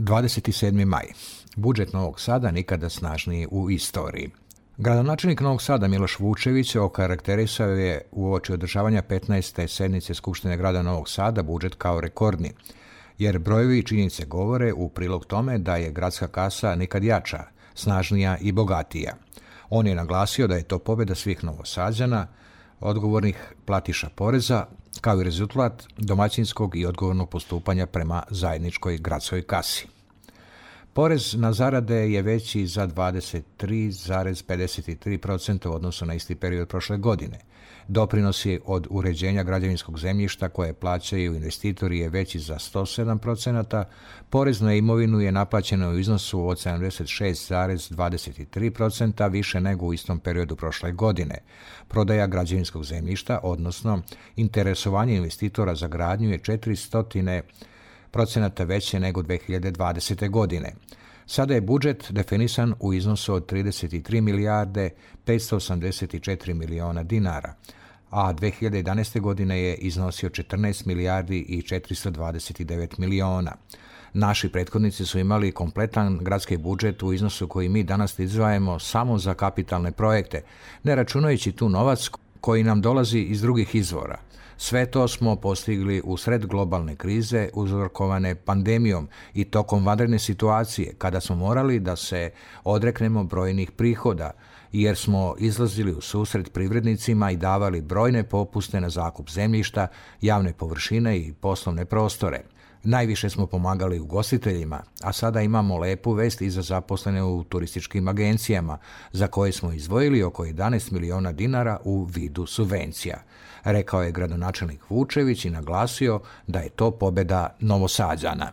27. maj. Budžet Novog Sada nikada snažniji u istoriji. Gradonačelnik Novog Sada Miloš Vučević okarakterisao je uoči održavanja 15. sednice Skupštine grada Novog Sada budžet kao rekordni, jer brojevi i činjenice govore u prilog tome da je gradska kasa nikad jača, snažnija i bogatija. On je naglasio da je to pobjeda svih Novosađana, odgovornih platiša poreza, kao i rezultat domaćinskog i odgovornog postupanja prema zajedničkoj gradskoj kasi. Porez na zarade je veći za 23,53% u odnosu na isti period prošle godine. Doprinosi od uređenja građevinskog zemljišta koje plaćaju investitori je veći za 107%, porez na imovinu je naplaćeno u iznosu od 76,23%, više nego u istom periodu prošle godine. Prodaja građevinskog zemljišta, odnosno interesovanje investitora za gradnju je 400% veće nego 2020. godine. Sada je budžet definisan u iznosu od 33 milijarde 584 miliona dinara, a 2011. godine je iznosio 14 milijardi i 429 miliona. Naši prethodnici su imali kompletan gradski budžet u iznosu koji mi danas izdvajamo samo za kapitalne projekte, ne računajući tu novac koji nam dolazi iz drugih izvora. Sve to smo postigli u sred globalne krize uzrokovane pandemijom i tokom vanredne situacije, kada smo morali da se odreknemo brojnih prihoda, jer smo izlazili u susret privrednicima i davali brojne popuste na zakup zemljišta, javne površine i poslovne prostore. Najviše smo pomagali ugostiteljima, a sada imamo lepu vest i za zaposlene u turističkim agencijama, za koje smo izdvojili oko 11 miliona dinara u vidu subvencija, rekao je gradonačelnik Vučević i naglasio da je to pobjeda Novosađana.